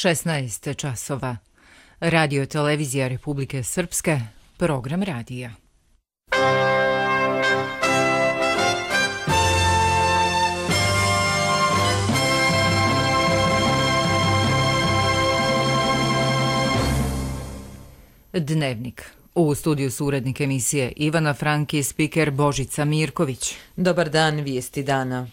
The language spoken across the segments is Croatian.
16 časova. Radio televizija Republike Srpske, program radija. Dnevnik. U studiju su urednik emisije Ivana Frank i spiker Božica Mirković. Dobar dan, vijesti dana.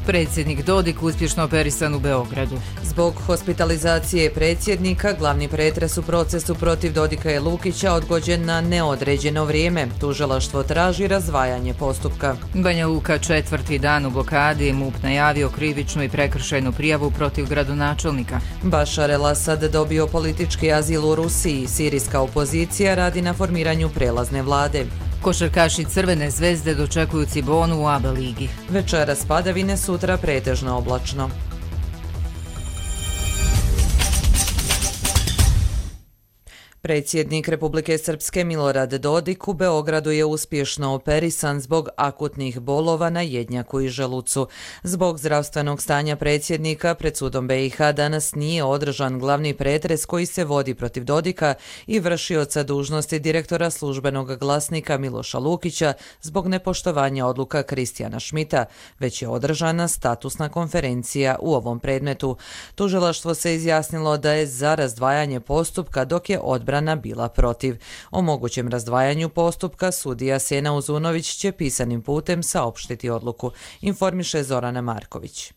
Predsjednik Dodik uspješno operisan u Beogradu. Zbog hospitalizacije predsjednika, glavni pretres u procesu protiv Dodika i Lukića odgođen na neodređeno vrijeme. Tužilaštvo traži razdvajanje postupka. Banja Luka četvrti dan u blokadi, MUP najavio krivičnu i prekršajnu prijavu protiv gradonačelnika. Bašar el-Asad dobio politički azil u Rusiji. Sirijska opozicija radi na formiranju prelazne vlade. Košarkaši Crvene zvezde dočekuju Cibonu u ABA ligi. Večeras padavine, sutra pretežno oblačno. Predsjednik Republike Srpske Milorad Dodik u Beogradu je uspješno operisan zbog akutnih bolova na jednjaku i želucu. Zbog zdravstvenog stanja predsjednika pred sudom BiH danas nije održan glavni pretres koji se vodi protiv Dodika i vršioca dužnosti direktora službenog glasnika Miloša Lukića zbog nepoštovanja odluka Kristijana Šmita, već je održana statusna konferencija u ovom predmetu. Tužilaštvo se izjasnilo da je za razdvajanje postupka, dok je odbrana bila protiv. O mogućem razdvajanju postupka sudija Sena Uzunović će pisanim putem saopštiti odluku, informiše Zorana Marković.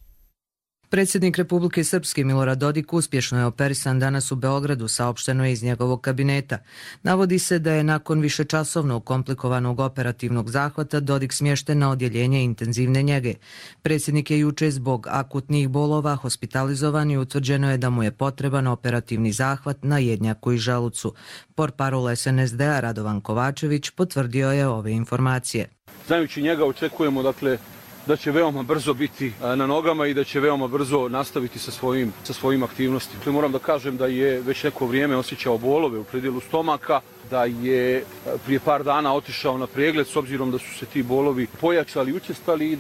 Predsjednik Republike Srpske Milorad Dodik uspješno je operisan danas u Beogradu, saopšteno je iz njegovog kabineta. Navodi se da je nakon višečasovnog komplikovanog operativnog zahvata Dodik smješten na odjeljenje intenzivne njege. Predsjednik je juče zbog akutnih bolova hospitalizovan i utvrđeno je da mu je potreban operativni zahvat na jednjaku i želucu. Portparol SNSD-a Radovan Kovačević potvrdio je ove informacije. Znajući njega očekujemo da će veoma brzo biti na nogama i da će veoma brzo nastaviti sa svojim aktivnostima. Moram da kažem da je već neko vrijeme osjećao bolove u predjelu stomaka, da je prije par dana otišao na pregled s obzirom da su se ti bolovi pojačali, učestali i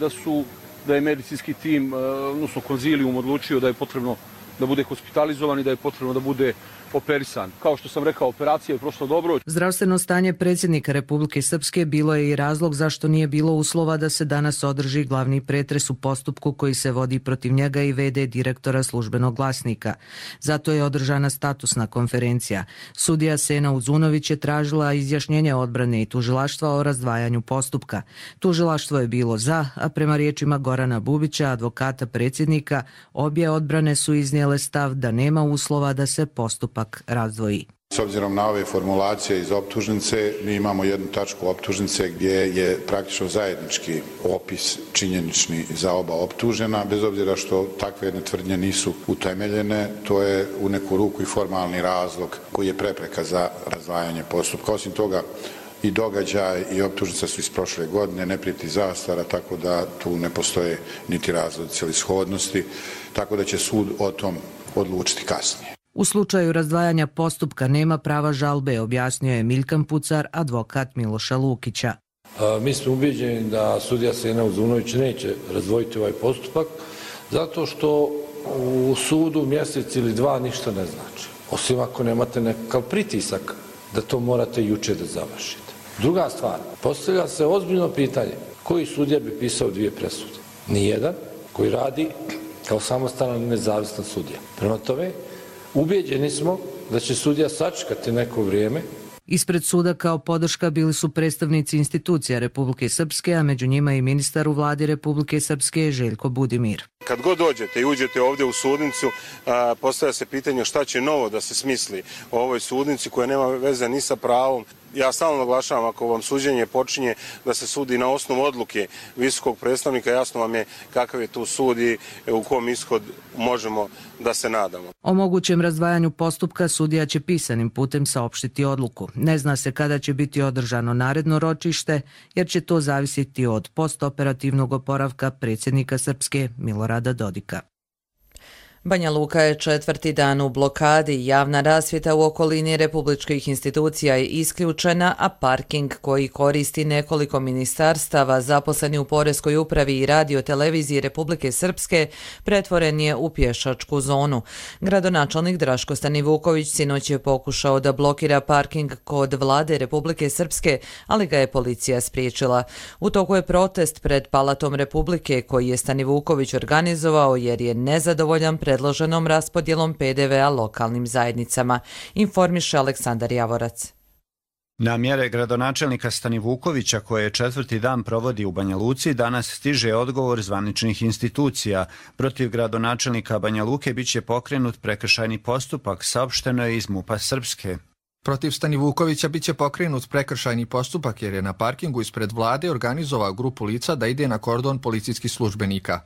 da je medicinski tim, odnosno konzilijum, odlučio da je potrebno da bude hospitalizovan i da je potrebno da bude operisan. Kao što sam rekao, operacija je prošla dobro. Zdravstveno stanje predsjednika Republike Srpske bilo je i razlog zašto nije bilo uslova da se danas održi glavni pretres u postupku koji se vodi protiv njega i v.d. direktora službenog glasnika. Zato je održana statusna konferencija. Sudija Sena Uzunović je tražila izjašnjenje odbrane i tužilaštva o razdvajanju postupka. Tužilaštvo je bilo za, a prema riječima Gorana Bubića, advokata predsjednika, obje odbrane su iznijele stav da nema uslova da se postupak razdvoji. S obzirom na ove formulacije iz optužnice, mi imamo jednu tačku optužnice gdje je praktično zajednički opis činjenični za oba optužena, bez obzira što takve jedne tvrdnje nisu utemeljene, to je u neku ruku i formalni razlog koji je prepreka za razdvajanje postupka. Osim toga, i događaj i optužnica su iz prošle godine, ne prijeti zastara, tako da tu ne postoje niti razlozi celishodnosti, tako da će sud o tom odlučiti kasnije. U slučaju razdvajanja postupka nema prava žalbe, objasnio je Milkan Pucar, advokat Miloša Lukića. Mi smo ubeđeni da sudija Sena Uzunović neće razdvojiti ovaj postupak, zato što u sudu mjesec ili dva ništa ne znači. Osim ako nemate nekakav pritisak da to morate juče da završite. Druga stvar, postavlja se ozbiljno pitanje koji sudija bi pisao dvije presude. Nijedan koji radi kao samostalan i nezavisan sudija. Prema tome, ubeđeni smo da će sudija sačekati neko vrijeme. Ispred suda kao podrška bili su predstavnici institucija Republike Srpske, a među njima i ministar u vladi Republike Srpske Željko Budimir. Kad god dođete i uđete ovdje u sudnicu, postavlja se pitanje šta će novo da se smisli o ovoj sudnici koja nema veze ni sa pravom. Ja stalno naglašavam, ako vam suđenje počinje da se sudi na osnovu odluke visokog predstavnika, jasno vam je kakav je tu sud i u kom ishod možemo da se nadamo. O mogućem razdvajanju postupka sudija će pisanim putem saopštiti odluku. Ne zna se kada će biti održano naredno ročište, jer će to zavisiti od postoperativnog oporavka predsjednika Srpske Milorada Dodika. Banja Luka je 4. dan u blokadi, javna rasvjeta u okolini republičkih institucija je isključena, a parking koji koristi nekoliko ministarstava zaposleni u Poreskoj upravi i radio-televiziji Republike Srpske pretvoren je u pješačku zonu. Gradonačelnik Draško Stanivuković sinoć je pokušao da blokira parking kod vlade Republike Srpske, ali ga je policija spriječila. U toku je protest pred Palatom Republike koji je Stanivuković organizovao jer je nezadovoljan predloženom raspodjelom PDV-a lokalnim zajednicama, informiše Aleksandar Javorac. Na mjere gradonačelnika Stanivukovića koje 4. dan provodi u Banja Luci danas stiže odgovor zvaničnih institucija. Protiv gradonačelnika Banja Luke biće pokrenut prekršajni postupak, saopšteno je iz MUP-a Srpske. Protiv Stanivukovića biće pokrenut prekršajni postupak jer je na parkingu ispred vlade organizovao grupu lica da ide na kordon policijskih službenika.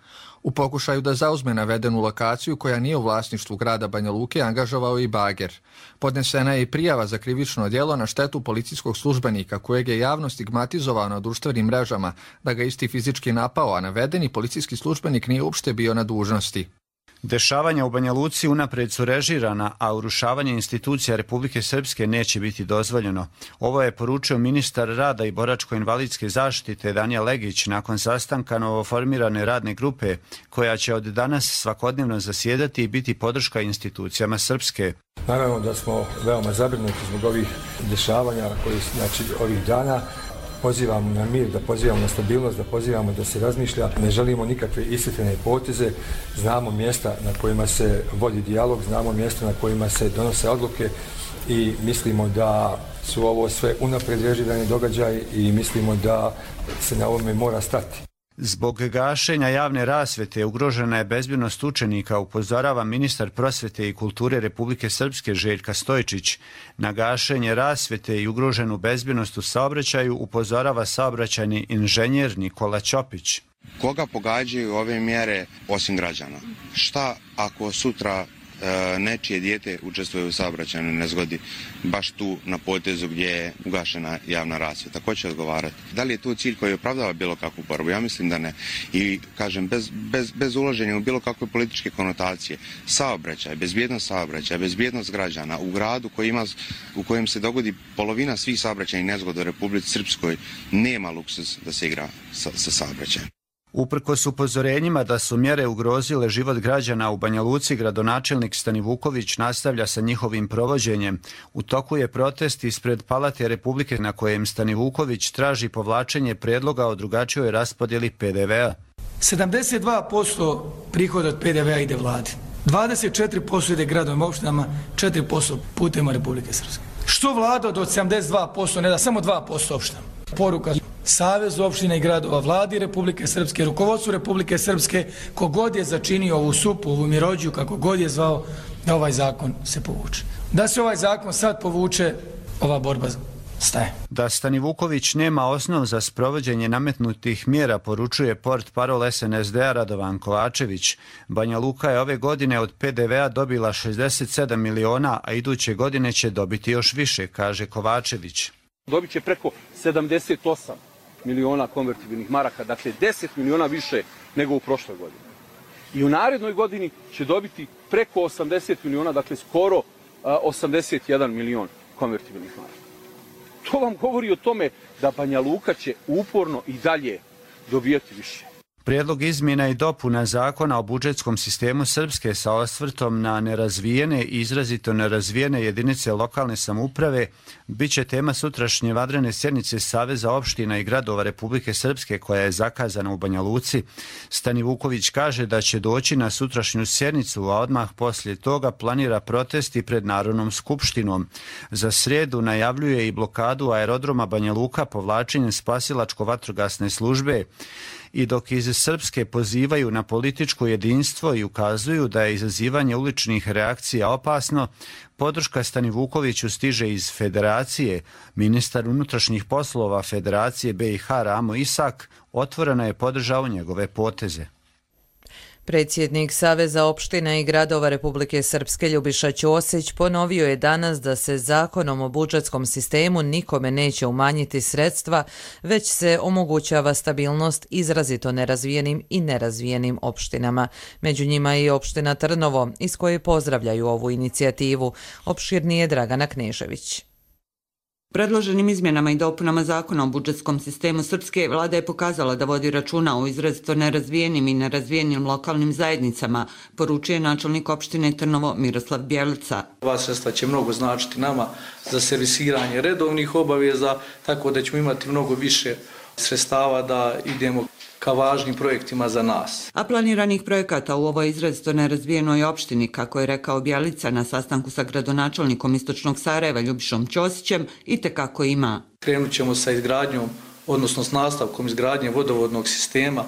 U pokušaju da zauzme navedenu lokaciju koja nije u vlasništvu grada Banja Luke angažovao i bager. Podnesena je i prijava za krivično djelo na štetu policijskog službenika kojeg je javno stigmatizovao na društvenim mrežama da ga isti fizički napao, a navedeni policijski službenik nije uopšte bio na dužnosti. Dešavanja u Banja Luci unaprijed su režirana, a urušavanje institucija Republike Srpske neće biti dozvoljeno. Ovo je poručio ministar rada i boračko-invalidske zaštite Danijel Legić nakon sastanka novoformirane radne grupe, koja će od danas svakodnevno zasjedati i biti podrška institucijama Srpske. Naravno da smo veoma zabrinuti zbog ovih dešavanja koji ovih dana. Pozivamo na mir, da pozivamo na stabilnost, da pozivamo da se razmišlja. Ne želimo nikakve ishitrene poteze. Znamo mjesta na kojima se vodi dijalog, znamo mjesta na kojima se donose odluke i mislimo da su ovo sve unaprijed režirani događaj i mislimo da se na ovome mora stati. Zbog gašenja javne rasvjete ugrožena je bezbjednost učenika, upozorava ministar prosvjete i kulture Republike Srpske Željka Stojčić. Na gašenje rasvjete i ugroženu bezbjednost u saobraćaju upozorava saobraćajni inženjer Nikola Ćopić. Koga pogađaju ove mjere osim građana? Šta ako sutra nečije dijete učestvuje u saobraćajnoj nezgodi baš tu na potezu gdje je ugašena javna rasvjeta? Ko će odgovarati? Da li je tu cilj koji opravdava bilo kakvu borbu? Ja mislim da ne. I kažem, bez ulaženja u bilo kakve političke konotacije, saobraćaj, bezbjednost građana u gradu u kojem se dogodi polovina svih saobraćajnih nezgoda u Republici Srpskoj, nema luksuz da se igra sa saobraćajem. Uprkos upozorenjima da su mjere ugrozile život građana u Banja Luci, gradonačelnik Stanivuković nastavlja sa njihovim provođenjem. U toku je protest ispred Palate Republike na kojem Stanivuković traži povlačenje predloga o drugačijoj raspodjeli PDV-a. 72% prihoda od PDV-a ide vladi, 24% ide gradovima, opštinama, 4% putevima Republike Srpske. Što vlada od 72% ne da samo 2% opštinama? Poruka Savezu opština i gradova, vladi Republike Srpske, rukovodstvu Republike Srpske, kogod je začinio ovu supu, ovu mirođiju, kako god je zvao, da ovaj zakon se povuče. Da se ovaj zakon sad povuče, ova borba staje. Da Stanivuković nema osnov za sprovođenje nametnutih mjera, poručuje portparol SNSD-a Radovan Kovačević. Banja Luka je ove godine od PDV-a dobila 67 miliona, a iduće godine će dobiti još više, kaže Kovačević. Dobit će preko 78 miliona konvertibilnih maraka, dakle 10 miliona više nego u prošloj godini. I u narednoj godini će dobiti preko 80 miliona, dakle skoro 81 milion konvertibilnih maraka. To vam govori o tome da Banja Luka će uporno i dalje dobijati više. Prijedlog izmjena i dopuna zakona o budžetskom sistemu Srpske sa osvrtom na nerazvijene i izrazito nerazvijene jedinice lokalne samouprave biće tema sutrašnje vanredne sjednice Saveza opština i gradova Republike Srpske koja je zakazana u Banja Luci. Stanivuković kaže da će doći na sutrašnju sjednicu, a odmah poslije toga planira protesti pred Narodnom skupštinom. Za srijedu najavljuje i blokadu aerodroma Banja Luka povlačenjem spasilačko-vatrogasne službe. I dok iz Srpske pozivaju na političko jedinstvo i ukazuju da je izazivanje uličnih reakcija opasno, podrška Stanivukoviću stiže iz Federacije. Ministar unutrašnjih poslova Federacije BiH Ramo Isak otvoreno je podržao njegove poteze. Predsjednik Saveza opština i gradova Republike Srpske Ljubiša Ćosić ponovio je danas da se zakonom o budžetskom sistemu nikome neće umanjiti sredstva, već se omogućava stabilnost izrazito nerazvijenim i nerazvijenim opštinama. Među njima je i opština Trnovo, iz koje pozdravljaju ovu inicijativu. Opširnije Dragana Knežević. Predloženim izmjenama i dopunama zakona o budžetskom sistemu Srpske, vlada je pokazala da vodi računa o izrazito nerazvijenim i nerazvijenim lokalnim zajednicama, poručuje načelnik opštine Trnovo Miroslav Bjelica. Ova sredstva će mnogo značiti nama za servisiranje redovnih obaveza, tako da ćemo imati mnogo više sredstava da idemo ka važnim projektima za nas. A planiranih projekata u ovoj izrazito nerazvijenoj opštini, kako je rekao Bjelica na sastanku sa gradonačelnikom Istočnog Sarajeva Ljubišom Ćosićem, itekako ima. Krenut ćemo sa izgradnjom, odnosno s nastavkom izgradnje vodovodnog sistema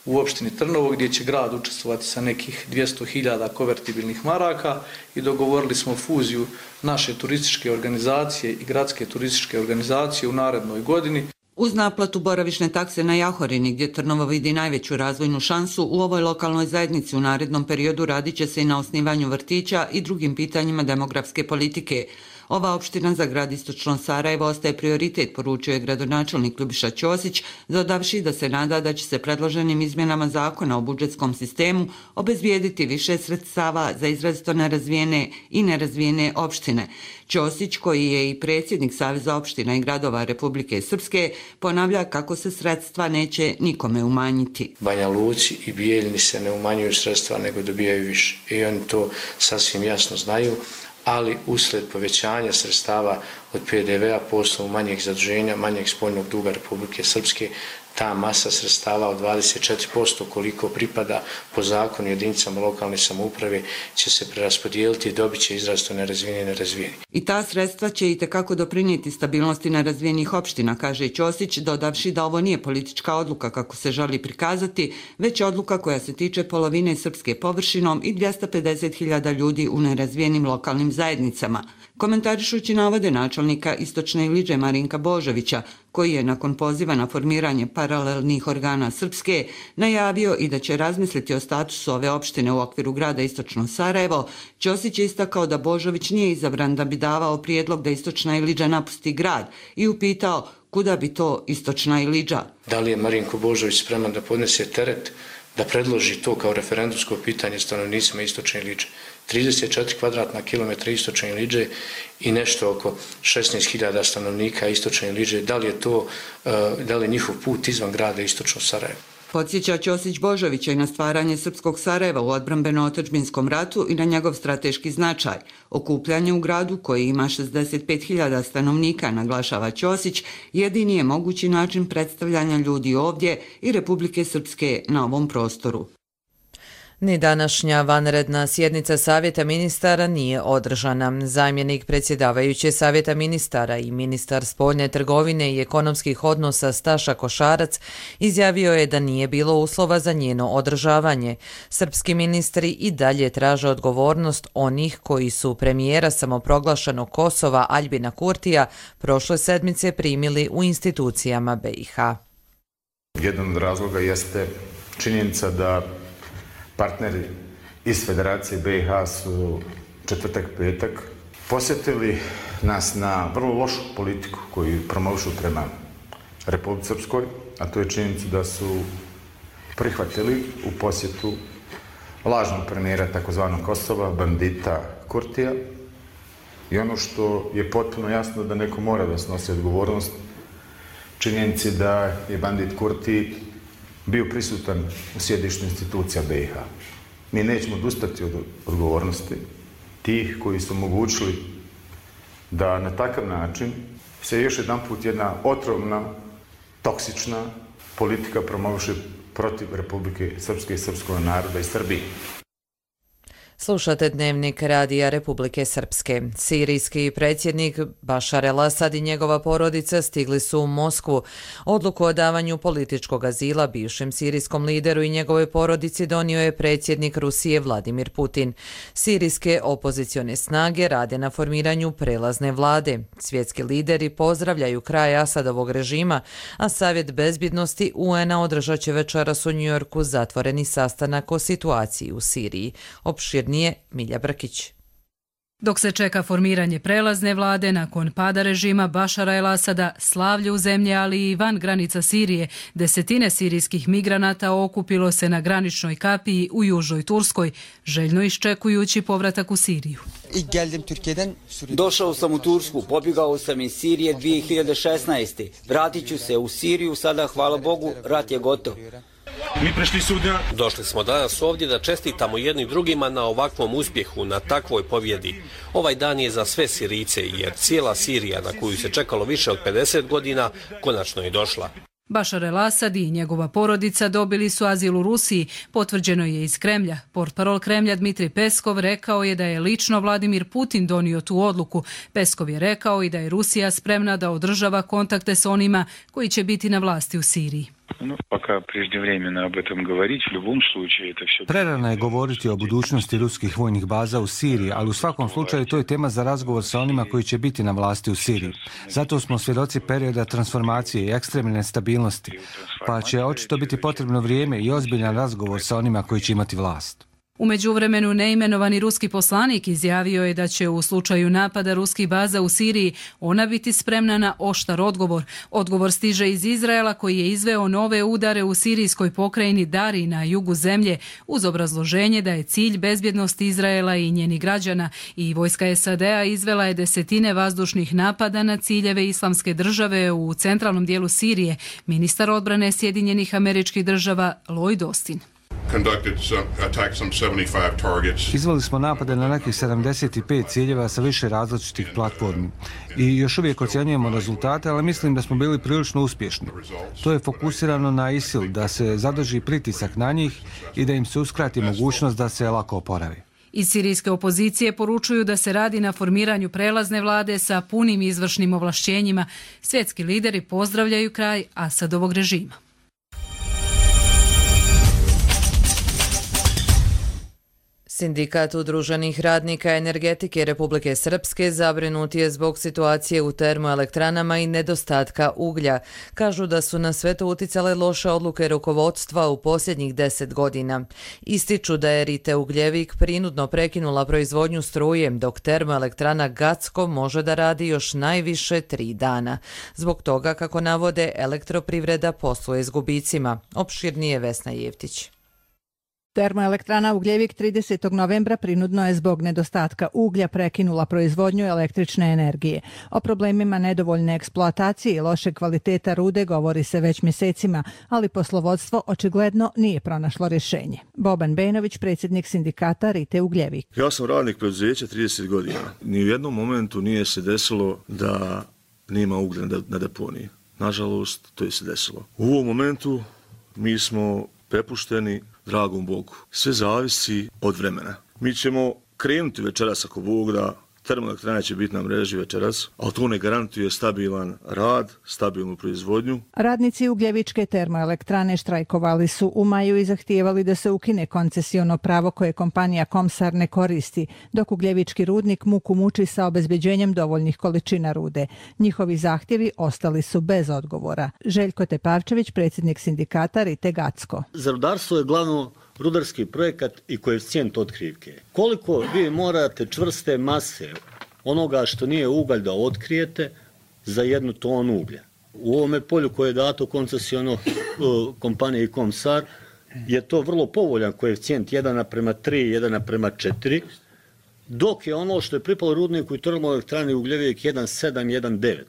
u opštini Trnovo, gdje će grad učestvovati sa nekih 200.000 konvertibilnih maraka i dogovorili smo fuziju naše turističke organizacije i gradske turističke organizacije u narednoj godini. Uz naplatu boravišne takse na Jahorini, gdje Trnovo vidi najveću razvojnu šansu, u ovoj lokalnoj zajednici u narednom periodu radit će se i na osnivanju vrtića i drugim pitanjima demografske politike. Ova opština za grad Istočno Sarajevo ostaje prioritet, poručio je gradonačelnik Ljubiša Ćosić, dodavši da se nada da će se predloženim izmjenama zakona o budžetskom sistemu obezbijediti više sredstava za izrazito nerazvijene i nerazvijene opštine. Ćosić, koji je i predsjednik Saveza opština i gradova Republike Srpske, ponavlja kako se sredstva neće nikome umanjiti. Banja Luci i Bijeljini se ne umanjuju sredstva, nego dobijaju više. I oni to sasvim jasno znaju, ali usled povećanja sredstava od PDV-a po osnovu manjeg zaduženja, manjeg spoljnog duga Republike Srpske, ta masa sredstava od 24% koliko pripada po zakonu jedinicama lokalne samouprave će se preraspodijeliti i dobit će izrazito nerazvijeni i nerazvijeni. I ta sredstva će itekako doprinijeti stabilnosti nerazvijenih opština, kaže Ćosić, dodavši da ovo nije politička odluka kako se želi prikazati, već odluka koja se tiče polovine srpske površinom i 250.000 ljudi u nerazvijenim lokalnim zajednicama. Komentarišući navode načelnika Istočne Iliđe Marinka Božovića, koji je nakon poziva na formiranje paralelnih organa Srpske najavio i da će razmisliti o statusu ove opštine u okviru grada Istočno Sarajevo, Ćosić je istakao da Božović nije izabran da bi davao prijedlog da Istočna Iliđa napusti grad i upitao kuda bi to Istočna Iliđa. Da li je Marinko Božović spreman da podnese teret da predloži to kao referendumsko pitanje stanovnicima Istočne Iliđe? 34 kvadratna kilometra Istočne Iliđe i nešto oko 16.000 stanovnika Istočne Iliđe. Da li je njihov put izvan grada Istočno Sarajevo? Podsjeća Ćosić Božovića i na stvaranje Srpskog Sarajeva u odbrambeno-otadžbinskom ratu i na njegov strateški značaj. Okupljanje u gradu, koji ima 65.000 stanovnika, naglašava Ćosić, jedini je mogući način predstavljanja ljudi ovdje i Republike Srpske na ovom prostoru. Ni današnja vanredna sjednica Savjeta ministara nije održana. Zamjenik predsjedavajuće Savjeta ministara i ministar spoljne trgovine i ekonomskih odnosa Staša Košarac izjavio je da nije bilo uslova za njeno održavanje. Srpski ministri i dalje traže odgovornost onih koji su premijera samoproglašenog Kosova Aljbina Kurtija prošle sedmice primili u institucijama BiH. Jedan od razloga jeste činjenica da partneri iz Federacije BiH su četvrtak, petak posjetili nas na vrlo lošu politiku koju promovišu prema Republici Srpskoj, a to je činjenica da su prihvatili u posjetu lažnog premijera takozvanog Kosova, bandita Kurtija. I ono što je potpuno jasno da neko mora da snosi odgovornost, činjenici da je bandit Kurti bio prisutan u sjedištu institucija BiH. Mi nećemo odustati od odgovornosti tih koji su omogućili da na takav način se još jedan put jedna otrovna, toksična politika promoviše protiv Republike Srpske i srpskog naroda i Srbije. Slušate dnevnik Radija Republike Srpske. Sirijski predsjednik Bašar el-Asad i njegova porodica stigli su u Moskvu. Odluku o davanju političkog azila bivšem sirijskom lideru i njegovoj porodici donio je predsjednik Rusije Vladimir Putin. Sirijske opozicione snage rade na formiranju prelazne vlade. Svjetski lideri pozdravljaju kraj Asadovog režima, a Savjet bezbjednosti UN-a održat će večeras u Njujorku zatvoreni sastanak o situaciji u Siriji. Nije Milja Brkić. Dok se čeka formiranje prelazne vlade nakon pada režima Bašara el-Asada, slavlje u zemlji, ali i van granica Sirije, desetine sirijskih migranata okupilo se na graničnoj kapiji u južnoj Turskoj, željno iščekujući povratak u Siriju. Došao sam u Tursku, pobjegao sam iz Sirije 2016. Vratit ću se u Siriju, sada hvala Bogu, rat je gotov. Došli smo danas ovdje da čestitamo jedni drugima na ovakvom uspjehu, na takvoj pobjedi. Ovaj dan je za sve Sirijce, jer cijela Sirija, na koju se čekalo više od 50 godina, konačno je došla. Bašar el-Asad i njegova porodica dobili su azil u Rusiji, potvrđeno je iz Kremlja. Portparol Kremlja Dmitrij Peskov rekao je da je lično Vladimir Putin donio tu odluku. Peskov je rekao i da je Rusija spremna da održava kontakte s onima koji će biti na vlasti u Siriji. Prerano je govoriti o budućnosti ruskih vojnih baza u Siriji, ali u svakom slučaju to je tema za razgovor sa onima koji će biti na vlasti u Siriji. Zato smo svjedoci perioda transformacije i ekstremne nestabilnosti, pa će očito biti potrebno vrijeme i ozbiljan razgovor sa onima koji će imati vlast. U međuvremenu neimenovani ruski poslanik izjavio je da će u slučaju napada ruskih baza u Siriji ona biti spremna na oštar odgovor. Odgovor stiže iz Izraela koji je izveo nove udare u sirijskoj pokrajini Dari na jugu zemlje uz obrazloženje da je cilj bezbjednost Izraela i njenih građana i vojska SAD-a izvela je desetine vazdušnih napada na ciljeve Islamske države u centralnom dijelu Sirije, ministar odbrane Sjedinjenih Američkih Država Lloyd Austin. Izveli smo napade na nekih 75 ciljeva sa više različitih platformi i još uvijek ocjenjujemo rezultate, ali mislim da smo bili prilično uspješni. To je fokusirano na ISIL, da se zadrži pritisak na njih i da im se uskrati mogućnost da se lako oporavi. Iz sirijske opozicije poručuju da se radi na formiranju prelazne vlade sa punim izvršnim ovlašćenjima. Svjetski lideri pozdravljaju kraj Asadovog režima. Sindikat udruženih radnika energetike Republike Srpske zabrinut je zbog situacije u termoelektranama i nedostatka uglja. Kažu da su na sve to uticale loše odluke rukovodstva u posljednjih 10 godina. Ističu da je Rite Ugljevik prinudno prekinula proizvodnju struje, dok termoelektrana Gacko može da radi još najviše 3 dana. Zbog toga, kako navode, elektroprivreda posluje s gubicima. Opširnije Vesna Jevtić. Termoelektrana Ugljevik 30. novembra prinudno je zbog nedostatka uglja prekinula proizvodnju električne energije. O problemima nedovoljne eksploatacije i loše kvaliteta rude govori se već mjesecima, ali poslovodstvo očigledno nije pronašlo rješenje. Boban Benović, predsjednik sindikata Rite Ugljevik. Ja sam radnik preduzeća 30 godina. Ni u jednom momentu nije se desilo da nema uglja na deponiji. Nažalost, to je se desilo. U ovom momentu mi smo prepušteni dragom Bogu. Sve zavisi od vremena. Mi ćemo krenuti večeras ako Bog da, termoelektrana će biti na mreži večeras, ali to ne garantuje stabilan rad, stabilnu proizvodnju. Radnici Ugljevičke termoelektrane štrajkovali su u maju i zahtijevali da se ukine koncesiono pravo koje kompanija Komsar ne koristi, dok Ugljevički rudnik muku muči sa obezbeđenjem dovoljnih količina rude. Njihovi zahtjevi ostali su bez odgovora. Željko Tepavčević, predsjednik sindikata Rite Gacko. Za rudarstvo je glavno rudarski projekat i koeficijent otkrivke. Koliko vi morate čvrste mase onoga što nije ugalj da otkrijete za 1 tonu uglja? U ovome polju koje je dato koncesiono kompaniji Komsar je to vrlo povoljan koeficijent 1:3, 1:4, dok je ono što je pripalo rudniku i termoelektrani Ugljevik 1,7, 1,9.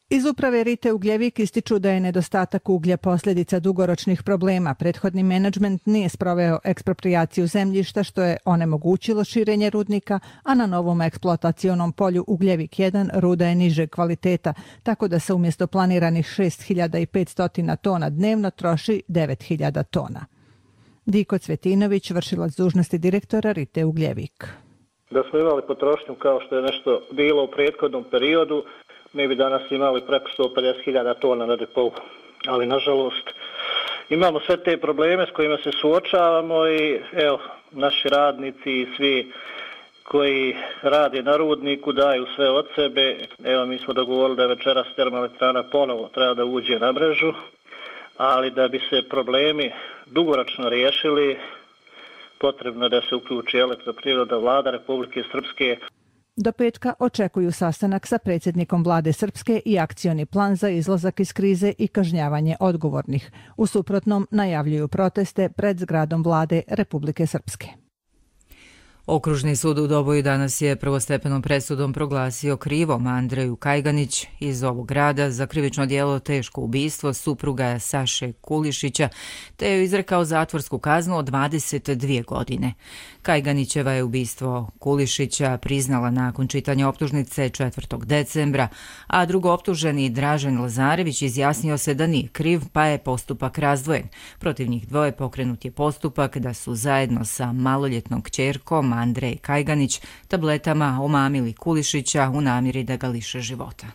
Iz uprave Rite Ugljevik ističu da je nedostatak uglja posljedica dugoročnih problema. Prethodni menadžment nije sproveo eksproprijaciju zemljišta, što je onemogućilo širenje rudnika, a na novom eksploatacionom polju Ugljevik 1 ruda je niže kvaliteta, tako da se umjesto planiranih 6500 tona dnevno troši 9000 tona. Diko Cvetinović, vršilac dužnosti direktora Rite Ugljevik. Da smo imali potrošnju kao što je nešto bilo u prethodnom periodu, mi bi danas imali preko 150.000 tona na depou. Ali nažalost imamo sve te probleme s kojima se suočavamo i evo, naši radnici i svi koji rade na rudniku daju sve od sebe. Evo, mi smo dogovorili da večeras termoelektrana ponovo treba da uđe na mrežu, ali da bi se problemi dugoročno riješili, potrebno je da se uključi Elektroprivreda, Vlada Republike Srpske. Do petka očekuju sastanak sa predsjednikom Vlade Srpske i akcioni plan za izlazak iz krize i kažnjavanje odgovornih. U suprotnom najavljuju proteste pred zgradom Vlade Republike Srpske. Okružni sud u Doboju danas je prvostepenom presudom proglasio krivom Andreju Kajganić iz ovog grada za krivično djelo teško ubistvo supruga Saše Kulišića, te je izrekao zatvorsku kaznu od 22 godine. Kajganićeva je ubistvo Kulišića priznala nakon čitanja optužnice 4. decembra, a drugooptuženi Dražen Lazarević izjasnio se da nije kriv, pa je postupak razdvojen. Protiv njih dvoje pokrenut je postupak da su zajedno sa maloljetnom kćerkom Andrej Kajganić tabletama omamili Kulišića u namjeri da ga liše života.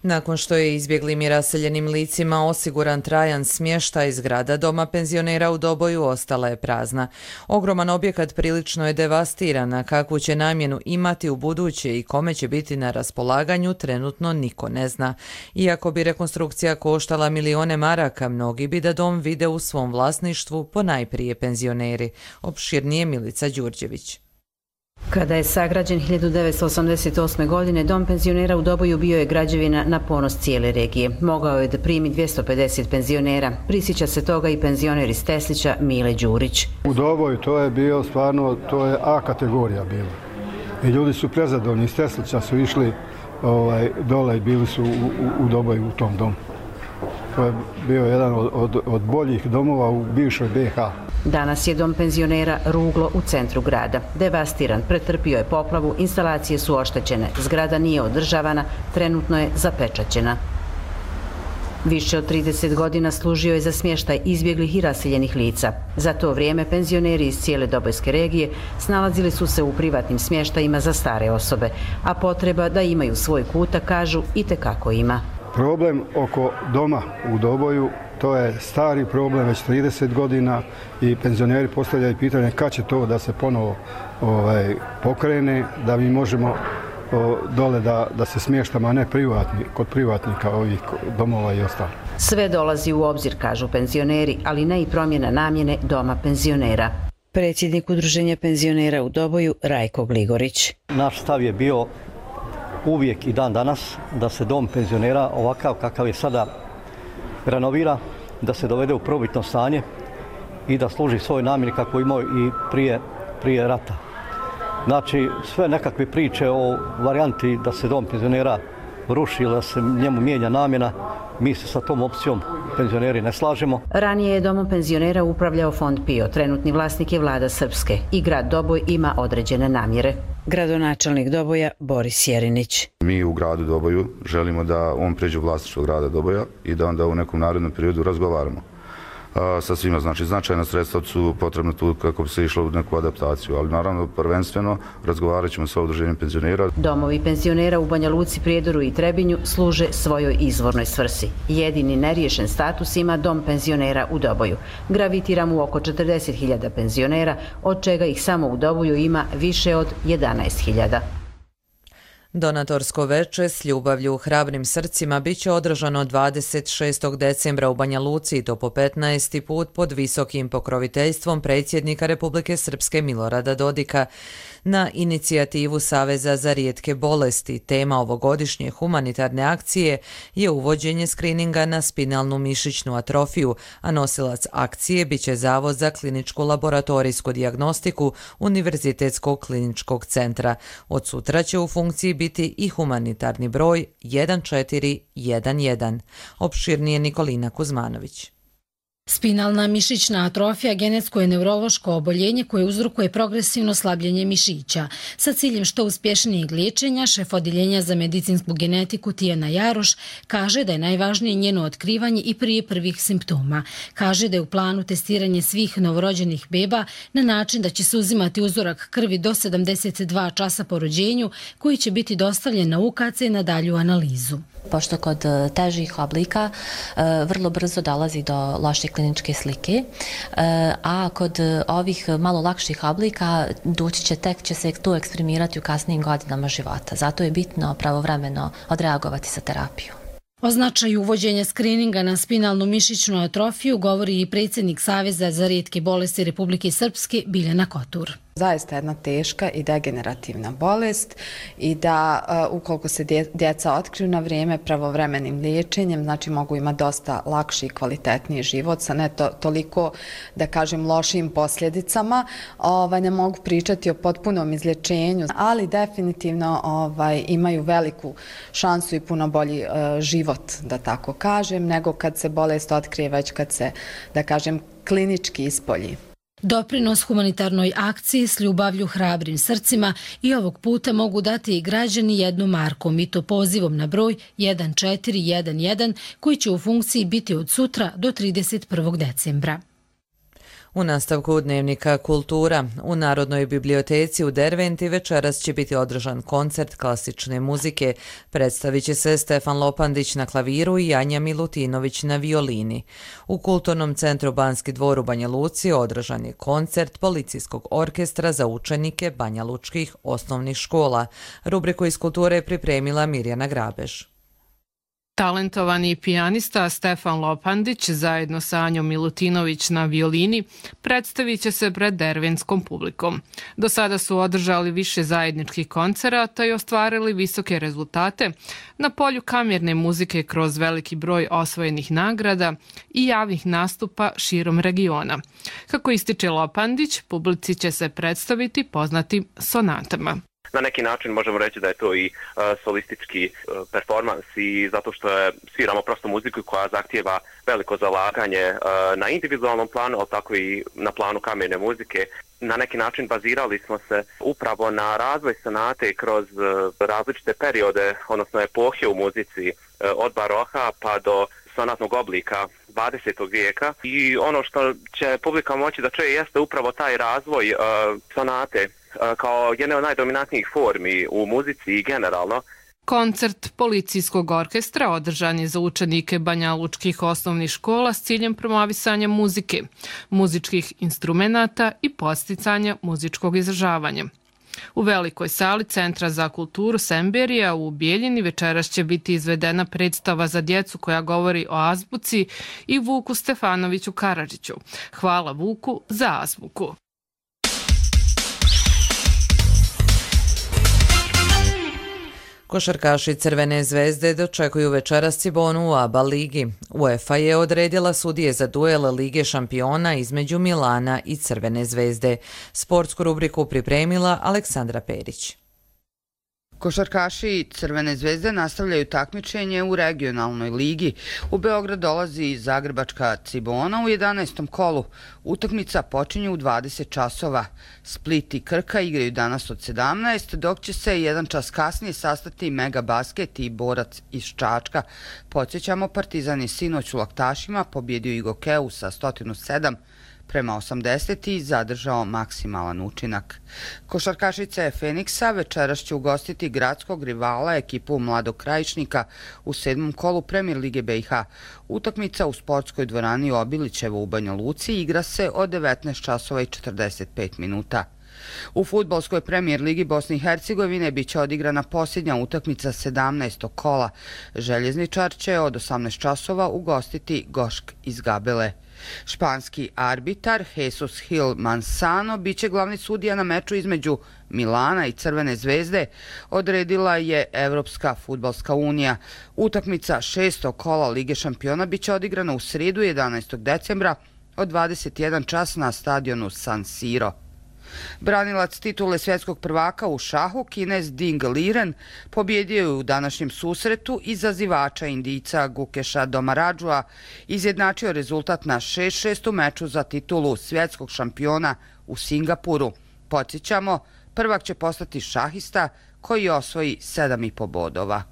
Nakon što je izbjeglim i raseljenim licima osiguran trajan smještaj, zgrada Doma penzionera u Doboju ostala je prazna. Ogroman objekat prilično je devastiran, a kakvu će namjenu imati u buduće i kome će biti na raspolaganju trenutno niko ne zna. Iako bi rekonstrukcija koštala milione maraka, mnogi bi da dom vide u svom vlasništvu, ponajprije penzioneri. Opširnije Milica Đurđević. Kada je sagrađen 1988. godine, Dom penzionera u Doboju bio je građevina na ponos cijele regije. Mogao je da primi 250 penzionera. Prisjeća se toga i penzioner iz Teslića Mile Đurić. U Doboju to je bio stvarno, to je A kategorija bila. I ljudi su prezadovoljni, iz Teslića su išli dole i bili su u Doboju u tom domu. To je bio jedan od boljih domova u bivšoj BiH. Danas je Dom penzionera ruglo u centru grada. Devastiran, pretrpio je poplavu, instalacije su oštećene, zgrada nije održavana, trenutno je zapečaćena. Više od 30 godina služio je za smještaj izbjeglih i raseljenih lica. Za to vrijeme penzioneri iz cijele Dobojske regije snalazili su se u privatnim smještajima za stare osobe, a potreba da imaju svoj kutak, kažu, itekako ima. Problem oko doma u Doboju, to je stari problem, već 30 godina i penzioneri postavljaju pitanje kad će to da se ponovo pokrene, da mi možemo dole da se smještamo, a ne kod privatnika ovih domova i ostalo. Sve dolazi u obzir, kažu penzioneri, ali ne i promjena namjene Doma penzionera. Predsjednik Udruženja penzionera u Doboju Rajko Gligorić. Naš stav je bio uvijek i dan danas da se Dom penzionera ovakav kakav je sada renovira, da se dovede u prvobitno stanje i da služi svoj namjeni kako imao i prije rata. Znači, sve nekakve priče o varijanti da se Dom penzionera ruši ili da se njemu mijenja namjena, mi se sa tom opcijom penzioneri ne slažemo. Ranije je Domom penzionera upravljao Fond PIO, trenutni vlasnik je Vlada Srpske i grad Doboj ima određene namjere. Gradonačelnik Doboja Boris Jerinić. Mi u gradu Doboju želimo da on pređe u vlasništvo grada Doboja i da onda u nekom narednom periodu razgovaramo sa svima. Znači, značajna sredstva su potrebna tu kako bi se išlo u neku adaptaciju, ali naravno prvenstveno razgovarat ćemo sa udruženjem penzionera. Domovi penzionera u Banja Luci, Prijedoru i Trebinju služe svojoj izvornoj svrsi. Jedini neriješen status ima Dom penzionera u Doboju. Gravitiramo u oko 40.000 penzionera, od čega ih samo u Doboju ima više od 11.000. Donatorsko veče s ljubavlju u hrabrim srcima bit će održano 26. decembra u Banja Luci i to po 15. put pod visokim pokroviteljstvom predsjednika Republike Srpske Milorada Dodika. Na inicijativu Saveza za rijetke bolesti tema ovogodišnje humanitarne akcije je uvođenje skrininga na spinalnu mišićnu atrofiju, a nosilac akcije biće Zavod za kliničku laboratorijsku dijagnostiku Univerzitetskog kliničkog centra. Od sutra će u funkciji biti i humanitarni broj 1411. Opširnije Nikolina Kuzmanović. Spinalna mišićna atrofija genetsko je neurološko oboljenje koje uzrokuje progresivno slabljenje mišića. Sa ciljem što uspješnijeg liječenja, šef Odjeljenja za medicinsku genetiku Tijana Jaroš kaže da je najvažnije njeno otkrivanje i prije prvih simptoma. Kaže da je u planu testiranje svih novorođenih beba na način da će se uzimati uzorak krvi do 72 časa po rođenju koji će biti dostavljen na UKC na dalju analizu. Pošto kod težih oblika vrlo brzo dolazi do loše kliničke slike, a kod ovih malo lakših oblika tek će se tu eksprimirati u kasnijim godinama života. Zato je bitno pravovremeno odreagovati sa terapiju. O značaju uvođenja skrininga na spinalnu mišićnu atrofiju govori i predsjednik Saveza za rijetke bolesti Republike Srpske Biljana Kotur. Zaista jedna teška i degenerativna bolest i da ukoliko se djeca otkriju na vrijeme pravovremenim liječenjem, znači mogu imati dosta lakši i kvalitetniji život sa ne toliko, da kažem, lošim posljedicama. Ne mogu pričati o potpunom izlječenju, ali definitivno imaju veliku šansu i puno bolji život, da tako kažem, nego kad se bolest otkrije već kad se, da kažem, klinički ispolji. Doprinos humanitarnoj akciji s ljubavlju hrabrim srcima i ovog puta mogu dati i građani 1 marku, i to pozivom na broj 1411 koji će u funkciji biti od sutra do 31. decembra. U nastavku Dnevnika Kultura u Narodnoj biblioteci u Derventi večeras će biti održan koncert klasične muzike. Predstavit će se Stefan Lopandić na klaviru i Anja Milutinović na violini. U Kulturnom centru Banski dvor u Banja Luci održan je koncert Policijskog orkestra za učenike banjalučkih osnovnih škola. Rubriku iz kulture je pripremila Mirjana Grabež. Talentovani pijanista Stefan Lopandić zajedno sa Anjom Milutinović na violini predstavit će se pred dervenskom publikom. Do sada su održali više zajedničkih koncerata i ostvarili visoke rezultate na polju kamerne muzike kroz veliki broj osvojenih nagrada i javnih nastupa širom regiona. Kako ističe Lopandić, publici će se predstaviti poznatim sonatama. Na neki način možemo reći da je to i solistički performans i zato što sviramo prosto muziku koja zahtijeva veliko zalaganje na individualnom planu, ali tako i na planu kamerne muzike. Na neki način bazirali smo se upravo na razvoj sonate kroz različite periode, odnosno epohe u muzici, od baroha pa do sonatnog oblika 20. vijeka. I ono što će publika moći da čuje jeste upravo taj razvoj sonate kao jedne od najdominantnijih formi u muzici i generalno. Koncert Policijskog orkestra održan je za učenike banjalučkih osnovnih škola s ciljem promovisanja muzike, muzičkih instrumenata i podsticanja muzičkog izražavanja. U velikoj sali Centra za kulturu Semberija u Bijeljini večeras će biti izvedena predstava za djecu koja govori o azbuci i Vuku Stefanoviću Karadžiću. Hvala Vuku za azbuku. Košarkaši Crvene zvezde dočekuju večeras Cibonu u ABA ligi. UEFA je odredila sudije za duel Lige šampiona između Milana i Crvene zvezde. Sportsku rubriku pripremila Aleksandra Perić. Košarkaši Crvene zvezde nastavljaju takmičenje u regionalnoj ligi. U Beograd dolazi zagrebačka Cibona u 11. kolu. Utakmica počinje u 20 časova. Split i Krka igraju danas od 17, dok će se 1 čas kasnije sastati Mega Basket i Borac iz Čačka. Podsjećamo, Partizan je sinoć u Laktašima pobjedio i Gokeu sa 107-80 i zadržao maksimalan učinak. Košarkašice Feniksa večeras će ugostiti gradskog rivala ekipu Mladog Krajišnika u 7. kolu Premier Lige BiH. Utakmica u sportskoj dvorani Obilićevo u Banja Luci igra se od 19 časova i 45 minuta. U fudbalskoj Premier Ligi Bosne i Hercegovine biće odigrana posljednja utakmica 17. kola. Željezničar će od 18 časova ugostiti Gošk iz Gabele. Španski arbitar Jesus Gil Manzano biće glavni sudija na meču između Milana i Crvene zvezde, odredila je Evropska fudbalska unija. Utakmica 6. kola Lige šampiona biće odigrana u srijedu 11. decembra od 21 čas na stadionu San Siro. Branilac titule svjetskog prvaka u šahu, Kinez Ding Liren, pobjedio je u današnjem susretu izazivača Indijca Gukeša Domaradžua, izjednačio rezultat na 6-6 u meču za titulu svjetskog šampiona u Singapuru. Podsjećamo, prvak će postati šahista koji osvoji 7,5 bodova.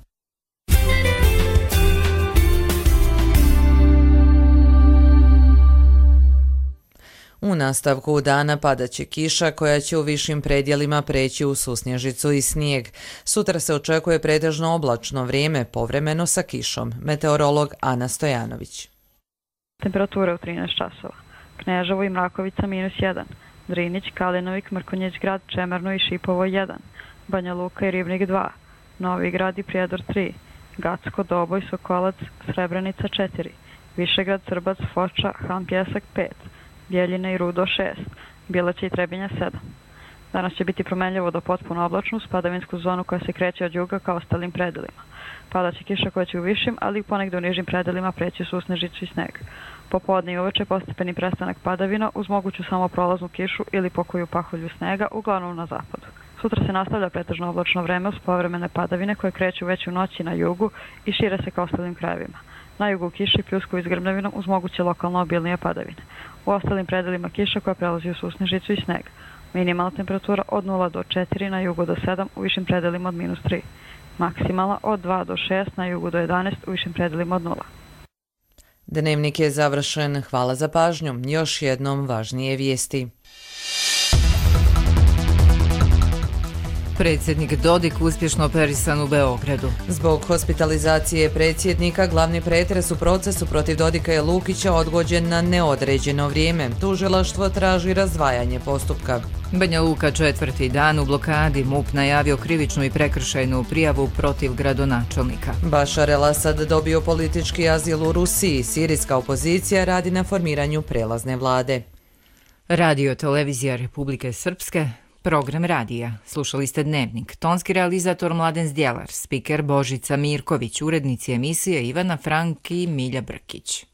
U nastavku dana padaće kiša koja će u višim predjelima preći u susnježicu i snijeg. Sutra se očekuje pretežno oblačno vrijeme, povremeno sa kišom. Meteorolog Ana Stojanović. Temperatura u 13 časova. Kneževo i Mrakovica -1. Drinić, Kalinovik, Mrkonjić grad, Čemerno i Šipovo 1. Banja Luka i Ribnik 2. Novi grad i Prijedor 3. Gacko, Doboj, Sokolac, Srebrenica 4. Višegrad, Srbac, Foča, Han Pjesak 5. Bjeljina i Rudo 6, Bjelaća i Trebinja 7. Danas će biti promenljivo do potpuno oblačno uz padavinsku zonu koja se kreće od juga ka ostalim predelima. Padaće kiša koja će u višim, ali i ponegde u nižim predelima preći susnežicu i sneg. Popodne i uveče postepeni prestanak padavina uz moguću samo prolaznu kišu ili pokoju pahulju snega, uglavnom na zapadu. Sutra se nastavlja pretežno oblačno vreme uz povremene padavine koje kreću već u noći na jugu i šire se ka ostalim krajevima. Na jugu kiši pljusku iz grmljavinom uz moguće lokalno obilnije padavine. U ostalim predelima kiša koja prelazi u susnežicu i sneg. Minimalna temperatura od 0 do 4, na jugu do 7, u višim predelima od -3. Maksimalna od 2 do 6, na jugu do 11, u višim predelima od 0. Dnevnik je završen. Hvala za pažnju. Još jednom važnije vijesti. Predsjednik Dodik uspješno operisan u Beogradu. Zbog hospitalizacije predsjednika, glavni pretres u procesu protiv Dodika i Lukića odgođen na neodređeno vrijeme. Tužilaštvo traži razdvajanje postupka. Banja Luka 4. dan u blokadi, MUP najavio krivičnu i prekršajnu prijavu protiv gradonačelnika. Bašar el-Asad dobio politički azil u Rusiji. Sirijska opozicija radi na formiranju prelazne vlade. Radio Televizija Republike Srpske. Program radija. Slušali ste Dnevnik. Tonski realizator Mladen Zdjelar, spiker Božica Mirković, urednici emisije Ivana Frank i Milja Brkić.